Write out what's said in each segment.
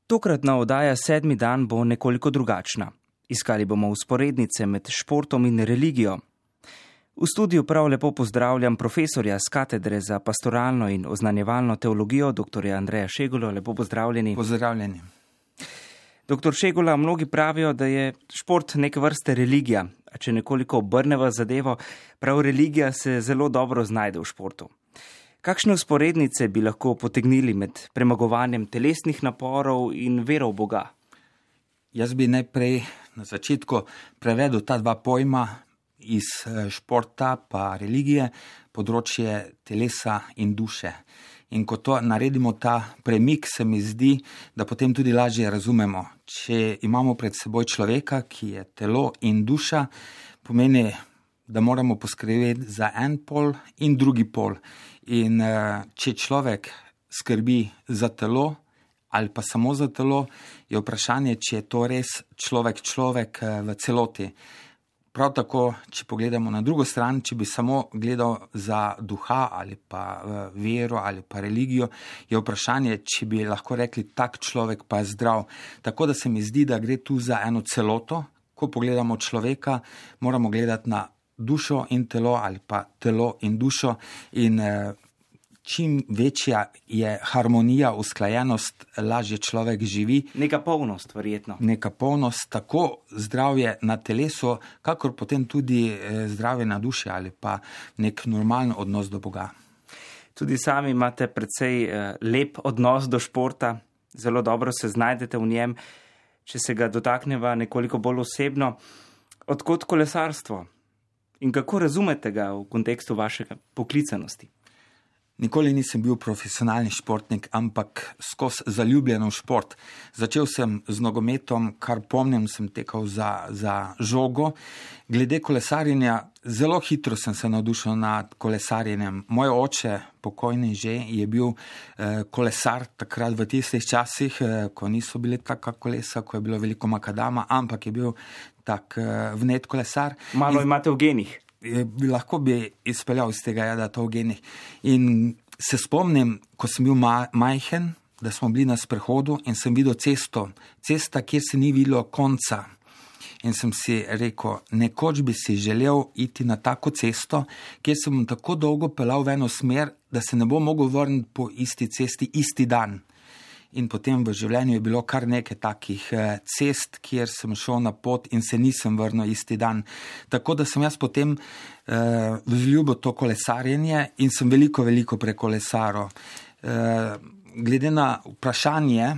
Tokratna oddaja 7. dan bo nekoliko drugačna. Iskali bomo vzporednice med športom in religijo. V studiu prav lepo pozdravljam profesorja z katedre za pastoralno in oznanjevalno teologijo, dr. Andreja Šegulo. Lepo pozdravljeni. Pozdravljeni. Dr. Šegula, mnogi pravijo, da je šport neke vrste religija, a če nekoliko obrneva zadevo, prav religija se zelo dobro znajde v športu. Kakšne vzporednice bi lahko potegnili med premagovanjem telesnih naporov in vero v Boga? Jaz bi najprej na začetku prevedel ta dva pojma iz športa pa religije, področje telesa in duše. In ko to naredimo ta premik, se mi zdi, da potem tudi lažje razumemo. Če imamo pred seboj človeka, ki je telo in duša, pomeni, da moramo poskrbeti za en pol in drugi pol. In če človek skrbi za telo ali pa samo za telo, je vprašanje, če je to res človek v celoti. Prav tako, če pogledamo na drugo stran, če bi samo gledal za duha ali pa vero ali pa religijo, je vprašanje, če bi lahko rekli, tak človek pa je zdrav. Tako da se mi zdi, da gre tu za eno celoto. Ko pogledamo človeka, moramo gledati na dušo in telo ali pa telo in dušo in čim večja je harmonija, usklajenost, lažje človek živi. Neka polnost, verjetno. Neka polnost, tako zdravje na telesu, kakor potem tudi zdravje na duši ali pa nek normalen odnos do Boga. Tudi sami imate precej lep odnos do športa, zelo dobro se znajdete v njem. Če se ga dotakneva nekoliko bolj osebno, odkot kolesarstvo? In kako razumete ga v kontekstu vašega poklicanosti? Nikoli nisem bil profesionalni športnik, ampak skozi zaljubljen v šport. Začel sem z nogometom, kar pomnim, sem tekal za žogo. Glede kolesarjenja, zelo hitro sem se navdušil nad kolesarjenjem. Moj oče, pokojni že, je bil kolesar takrat v tistih časih, ko niso bile taka kolesa, ko je bilo veliko makadama, ampak je bil tak vnet kolesar. Malo imate v genih. Lahko bi izpeljal iz tega, da to v genih. In se spomnim, ko sem bil majhen, da smo bili na sprehodu in sem videl cesta, kjer se ni videlo konca. In sem si rekel, nekoč bi si želel iti na tako cesto, kjer sem tako dolgo peljal v eno smer, da se ne bo mogel vrniti po isti cesti isti dan. In potem v življenju je bilo kar nekaj takih cest, kjer sem šel na pot in se nisem vrnil isti dan. Tako da sem jaz potem vzljubil to kolesarjenje in sem veliko prekolesaril. Glede na vprašanje,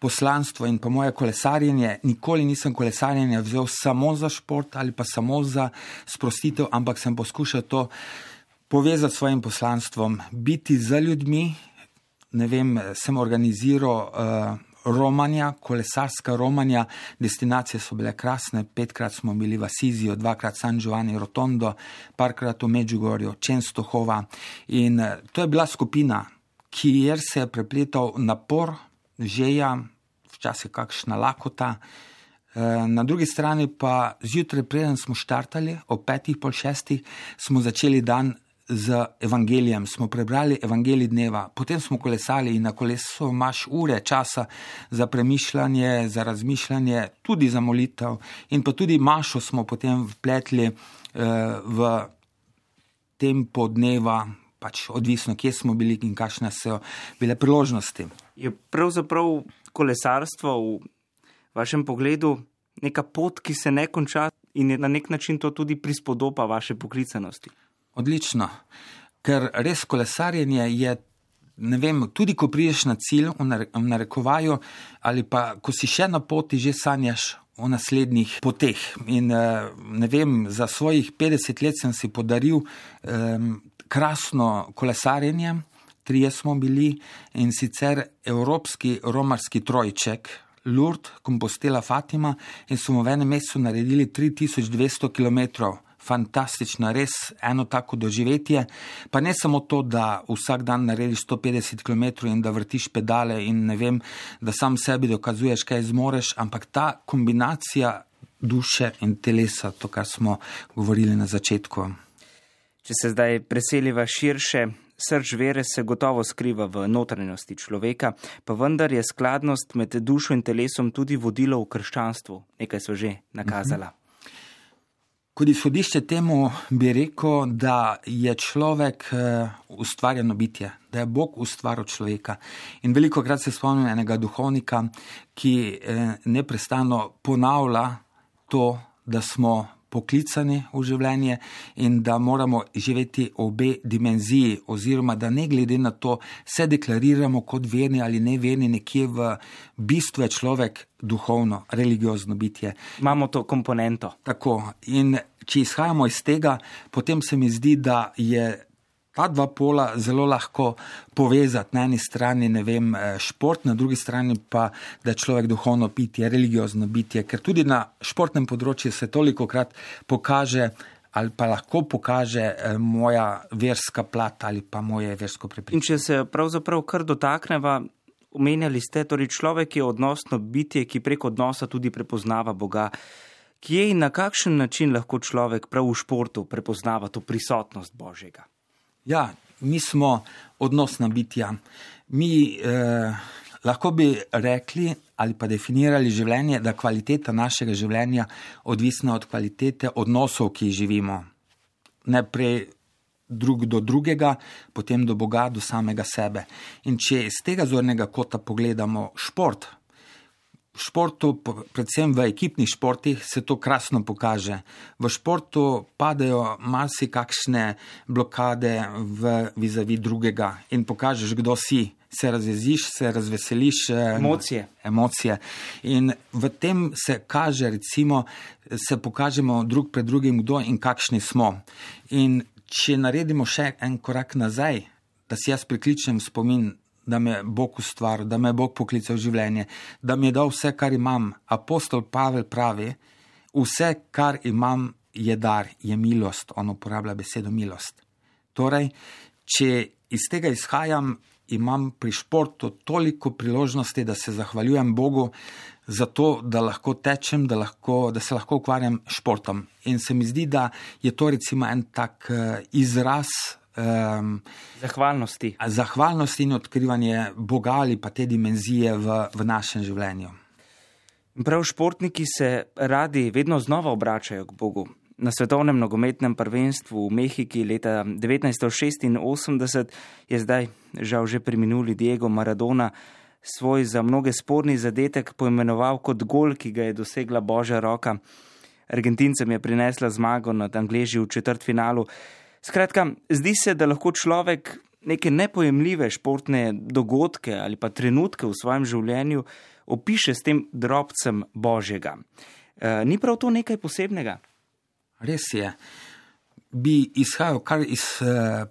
poslanstvo in pa moje kolesarjenje, nikoli nisem kolesarjenje vzel samo za šport ali pa samo za sprostitev, ampak sem poskušal to povezati s svojim poslanstvom, biti za ljudmi. Ne vem, sem organiziral romanja, kolesarska romanja, destinacije so bile krasne, 5-krat smo bili v Asiziju, 2-krat San Giovanni Rotondo, parkrat v Medjugorju, Częstochowa in to je bila skupina, kjer se je prepletal napor, želja, včasih kakšna lakota. Na drugi strani pa zjutraj, preden smo štartali, ob 5, pol 6, smo začeli dan z evangelijem, smo prebrali evangelij dneva, potem smo kolesali in na kolesu imaš ure časa za premišljanje, za razmišljanje, tudi za molitev in pa tudi mašo smo potem vpletli v tempo dneva, pač odvisno, kje smo bili in kakšne so bile priložnosti. Je pravzaprav kolesarstvo v vašem pogledu neka pot, ki se ne konča in je na nek način to tudi prispodoba vaše poklicanosti? Odlično, ker res kolesarjenje je, ne vem, tudi ko prideš na cilj v narekovaju ali pa ko si še na poti, že sanjaš o naslednjih poteh. In ne vem, za svojih 50 let sem si podaril krasno kolesarjenje, 3 smo bili in sicer evropski romarski trojček, Lourdes, Compostela, Fatima in smo v enem mesecu naredili 3200 kilometrov. Fantastično, res eno tako doživetje, pa ne samo to, da vsak dan narediš 150 km in da vrtiš pedale in ne vem, da sam sebi dokazuješ, kaj zmoreš, ampak ta kombinacija duše in telesa, to, kar smo govorili na začetku. Če se zdaj preseliva širše, Srž vere se gotovo skriva v notranjosti človeka, pa vendar je skladnost med dušo in telesom tudi vodilo v krščanstvu. Nekaj so že nakazala. Kot izhodišče temu bi rekel, da je človek ustvarjeno bitje, da je Bog ustvaril človeka. In velikokrat se spomnim enega duhovnika, ki neprestano ponavlja to, da smo poklicani v življenje in da moramo živeti obe dimenziji, oziroma da ne glede na to se deklariramo kot verni ali neverni, nekje v bistvu je človek duhovno, religiozno bitje. Imamo to komponento. Tako. In če izhajamo iz tega, potem se mi zdi, da je ta dva pola zelo lahko povezati. Na eni strani, šport, na drugi strani pa, da je človek duhovno bitje, religiozno bitje, ker tudi na športnem področju se tolikokrat pokaže ali pa lahko pokaže moja verska plat ali pa moje versko prepričanje. In če se pravzaprav kar dotakneva, omenjali ste, torej človek je odnosno bitje, ki prek odnosa tudi prepoznava Boga. Kje in na kakšen način lahko človek prav v športu prepoznava to prisotnost Božjega? Ja, mi smo odnosna bitja. Mi lahko bi rekli ali pa definirali življenje, da kvaliteta našega življenja odvisna od kvalitete odnosov, ki jih živimo. Najprej drug do drugega, potem do Boga, do samega sebe. In če iz tega zornega kota pogledamo šport, v športu, predvsem v ekipnih športih, se to krasno pokaže. V športu padajo marsikakšne blokade vizavi drugega in pokažeš, kdo si. Se razveziš, se razveseliš. Emocije. In v tem se kaže, recimo, se pokažemo drug pred drugim, kdo in kakšni smo. In če naredimo še en korak nazaj, da si jaz prikličem spomin, da me Bog ustvaril, da me Bog poklical v življenje, da mi je dal vse, kar imam. Apostol Pavel pravi, vse, kar imam, je dar, je milost. On uporablja besedo milost. Torej, če iz tega izhajam, imam pri športu toliko priložnosti, da se zahvaljujem Bogu za to, da lahko tečem, da se lahko ukvarjam športom. In se mi zdi, da je to recimo en tak izraz zahvalnosti in odkrivanje Boga ali pa te dimenzije v našem življenju. Prav športniki se radi vedno znova obračajo k Bogu. Na svetovnem nogometnem prvenstvu v Mehiki leta 1986 je zdaj žal že preminuli Diego Maradona svoj za mnoge sporni zadetek poimenoval kot gol, ki ga je dosegla Božja roka. Argentincem je prinesla zmago nad Angleži v četrtfinalu. Skratka, zdi se, da lahko človek neke nepojemljive športne dogodke ali pa trenutke v svojem življenju opiše s tem drobcem Božjega. Ni prav to nekaj posebnega? Res je. Bi izhajal kar iz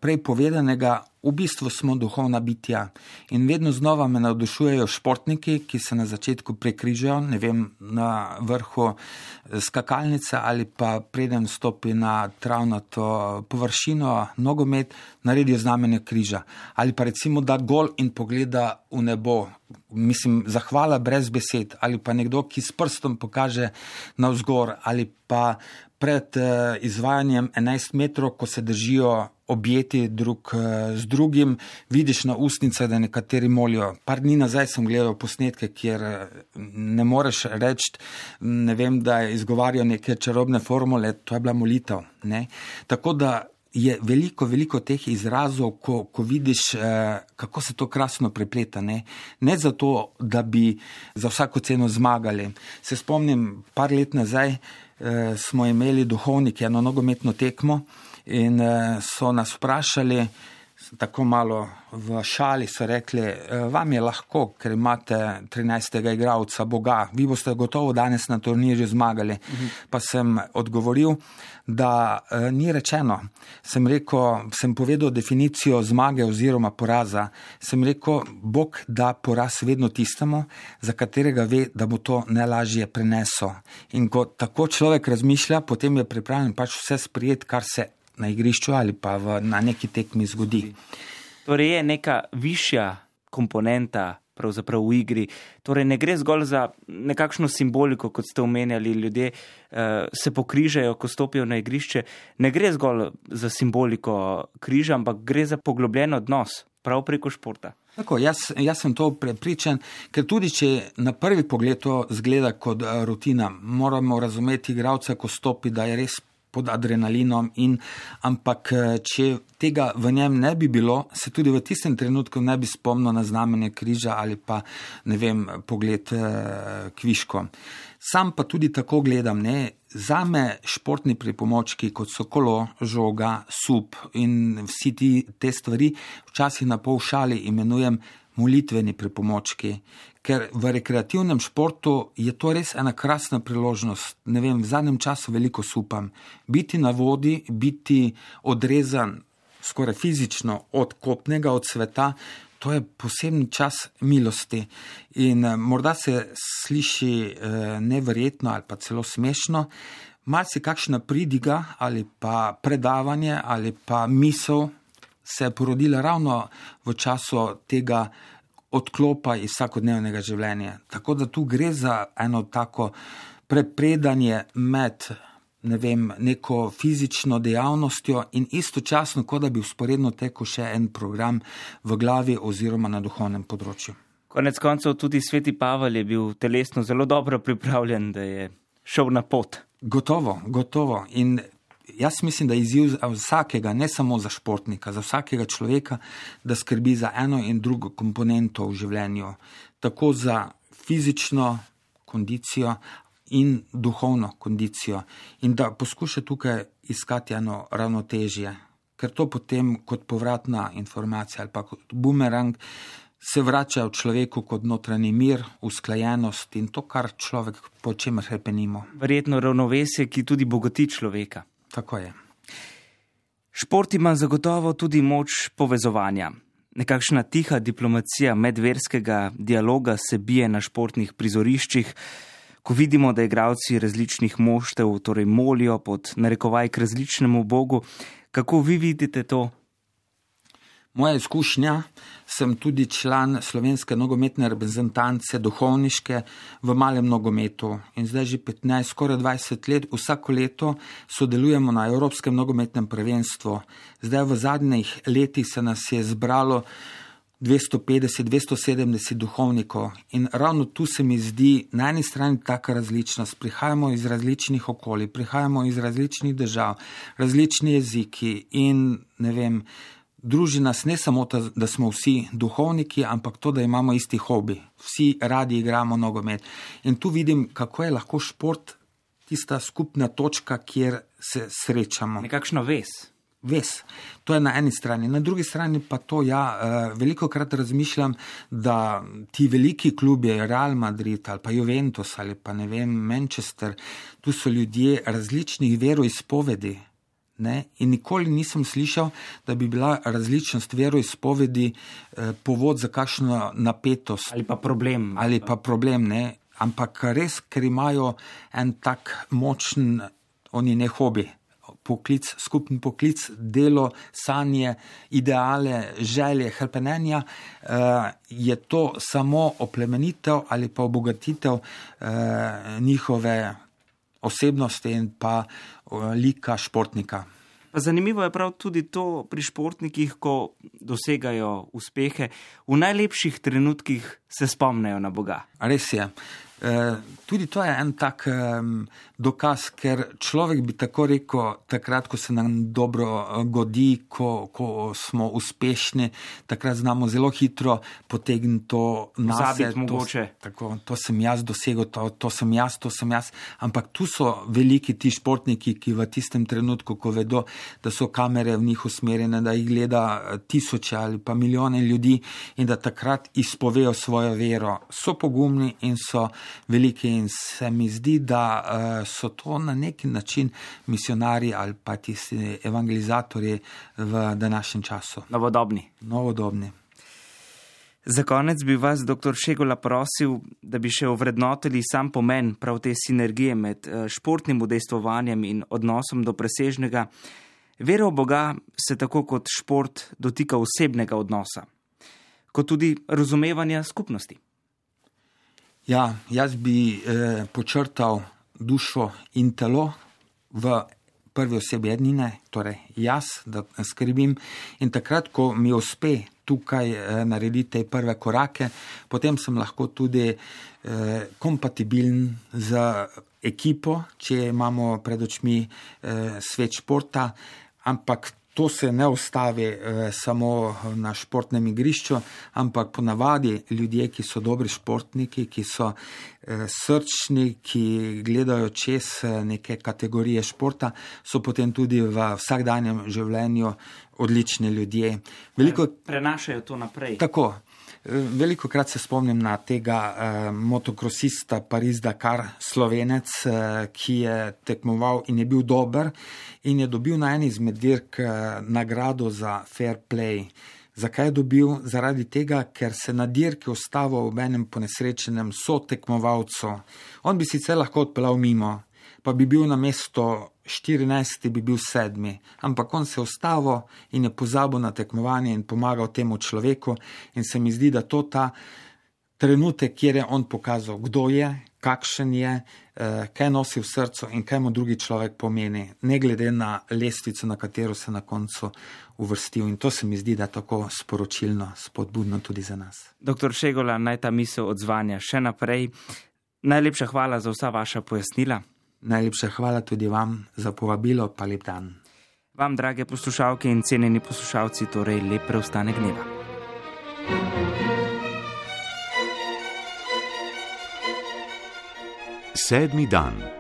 prej povedanega, v bistvu smo duhovna bitja in vedno znova me navdušujejo športniki, ki se na začetku prekrižajo, na vrhu skakalnice ali pa preden stopi na travnato površino, nogomet, naredijo znamenje križa. Ali pa recimo da gol in pogleda v nebo. Zahvala brez besed. Ali pa nekdo, ki s prstom pokaže navzgor. Ali pa pred izvajanjem 11 metrov, ko se držijo objeti drug z drugim, vidiš na ustnicah, da nekateri molijo. Par dni nazaj sem gledal posnetke, kjer ne moreš reči, da izgovarjajo neke čarobne formule, to je bila molitev. Ne? Tako da je veliko teh izrazov, ko vidiš, kako se to krasno prepleta. Ne zato, da bi za vsako ceno zmagali. Se spomnim, par let nazaj smo imeli duhovniki eno nogometno tekmo in so nas vprašali, tako malo v šali so rekli, vam je lahko, ker imate 13. igralca Boga, vi boste gotovo danes na turnirju zmagali. Pa sem odgovoril, da ni rečeno. Sem povedal definicijo zmage oziroma poraza. Sem rekel, Bog da poraz vedno tistemu, za katerega ve, da bo to najlažje prenesel. In ko tako človek razmišlja, potem je pripravljen vse sprejeti, kar se na igrišču ali pa na neki tekmi zgodi. Torej je neka višja komponenta pravzaprav v igri. Torej ne gre zgolj za nekakšno simboliko, kot ste omenjali, ljudje se pokrižajo, ko stopijo na igrišče. Ne gre zgolj za simboliko križa, ampak gre za poglobljen odnos, prav preko športa. Tako, jaz sem to prepričan, ker tudi če na prvi pogled to zgleda kot rutina, moramo razumeti igralca, ko stopi, da je res pod adrenalinom, ampak če tega v njem ne bi bilo, se tudi v tistem trenutku ne bi spomnil na znamenje križa ali pa, pogled kviško. Sam pa tudi tako gledam, zame športni pripomočki, kot so kolo, žoga, sup in vsi te stvari, včasih na pol šali imenujem molitveni pripomočki, ker v rekreativnem športu je to res ena krasna priložnost. V zadnjem času veliko supam. Biti na vodi, biti odrezan skoraj fizično od kopnega, od sveta, to je poseben čas milosti. In morda se sliši neverjetno ali pa celo smešno, malce kakšna pridiga ali pa predavanje ali pa misel se je porodila ravno v času tega odklopa iz vsakodnevnega življenja. Tako da tu gre za eno tako prepredanje med neko fizično dejavnostjo in istočasno, kot da bi vzporedno tekel še en program v glavi oziroma na duhovnem področju. Konec koncev tudi sveti Pavel je bil telesno zelo dobro pripravljen, da je šel na pot. Gotovo. In jaz mislim, da je izziv za vsakega, ne samo za športnika, za vsakega človeka, da skrbi za eno in drugo komponento v življenju. Tako za fizično kondicijo in duhovno kondicijo. In da poskuša tukaj iskati eno ravnotežje. Ker to potem kot povratna informacija ali pa kot bumerang se vrača v človeku kot notranji mir, usklajenost in to, kar človek po čemer hrepenimo. Verjetno ravnovesje, ki tudi bogati človeka. Tako je. Šport ima zagotovo tudi moč povezovanja. Nekakšna tiha diplomacija medverskega dialoga se bije na športnih prizoriščih, ko vidimo, da igralci različnih moštev torej molijo pod narekovaj k različnemu bogu. Kako vi vidite to? Moja izkušnja, sem tudi član slovenske nogometne reprezentance duhovniške v malem nogometu in zdaj že 15, skoraj 20 let, vsako leto sodelujemo na Evropskem nogometnem prvenstvu. Zdaj v zadnjih letih se nas je zbralo 250-270 duhovnikov in ravno tu se mi zdi na eni strani taka različnost. Prihajamo iz različnih okolij, prihajamo iz različnih držav, različni jeziki in druži nas ne samo to, da smo vsi duhovniki, ampak to, da imamo isti hobi. Vsi radi igramo nogomet. In tu vidim, kako je lahko šport tista skupna točka, kjer se srečamo. Nekakšna vez. Vez. To je na eni strani. Na drugi strani pa to, velikokrat razmišljam, da ti veliki klubi, Real Madrid ali pa Juventus ali pa Manchester, tu so ljudje različnih veroizpovedi. In nikoli nisem slišal, da bi bila različnost veroizpovedi povod za kakšno napetost. Ali pa problem. Ampak res, ker imajo en tak močen, oni ne hobi, poklic, skupen poklic, delo, sanje, ideale, želje, hrepenenja, je to samo oplemenitev ali pa obogatitev njihove osebnosti in pa lika športnika. Pa zanimivo je prav tudi to pri športnikih, ko dosegajo uspehe, v najlepših trenutkih se spomnejo na Boga. Res je. Tudi to je en tak dokaz, ker človek bi tako rekel, takrat, ko se nam dobro godi, ko smo uspešni, takrat znamo zelo hitro potegniti to nase. To sem jaz dosegel, to sem jaz. Ampak tu so veliki ti športniki, ki v tistem trenutku, ko vedo, da so kamere v njih usmerjene, da jih gleda tisoče ali pa milijone ljudi in da takrat izpovejo svojo vero. So pogumni in so veliki in se mi zdi, da so to na neki način misionarji ali pa tisti evangelizatorji v današnjem času. Novodobni. Za konec bi vas, dr. Šegula, prosil, da bi še ovrednotili sam pomen prav te sinergije med športnim udejstvovanjem in odnosom do presežnega. Vera v Boga se tako kot šport dotika osebnega odnosa. kot tudi razumevanja skupnosti. Ja, jaz bi počrtal dušo in telo v prvi osebi ednine, torej jaz, da skrbim, in takrat, ko mi uspe tukaj narediti te prve korake, potem sem lahko tudi kompatibilen z ekipo, če imamo pred očmi svet športa, ampak to se ne ustavi samo na športnem igrišču, ampak ponavadi ljudje, ki so dobri športniki, ki so srčni, ki gledajo čez neke kategorije športa, so potem tudi v vsakdanjem življenju odlični ljudje. Prenašajo to naprej. Tako. Velikokrat se spomnim na tega motokrosista Paris-Dakar, Slovenec, ki je tekmoval in je bil dober in je dobil na eni izmed dirk nagrado za fair play. Zakaj je dobil? Zaradi tega, ker se na dirki ustavil ob enem ponesrečenem sotekmovalcu. On bi sicer lahko odpeljal mimo, pa bi bil na mesto 14, bi bil 7, ampak on se je ustavil in je pozabil na tekmovanje in pomagal temu človeku in se mi zdi, da to ta trenutek, kjer je on pokazal, kdo je, kakšen je, kaj nosi v srcu in kaj mu drugi človek pomeni, ne glede na lestvico, na katero se na koncu uvrstil. In to se mi zdi, da je tako sporočilno, spodbudno tudi za nas. Doktor Šegula, naj ta misel odzvanja še naprej. Najlepša hvala za vsa vaša pojasnila. Najlepša hvala tudi vam za povabilo, pa lep dan. Vam, drage poslušalke in cenjeni poslušalci, torej lep preostanek dneva. Sedmi dan.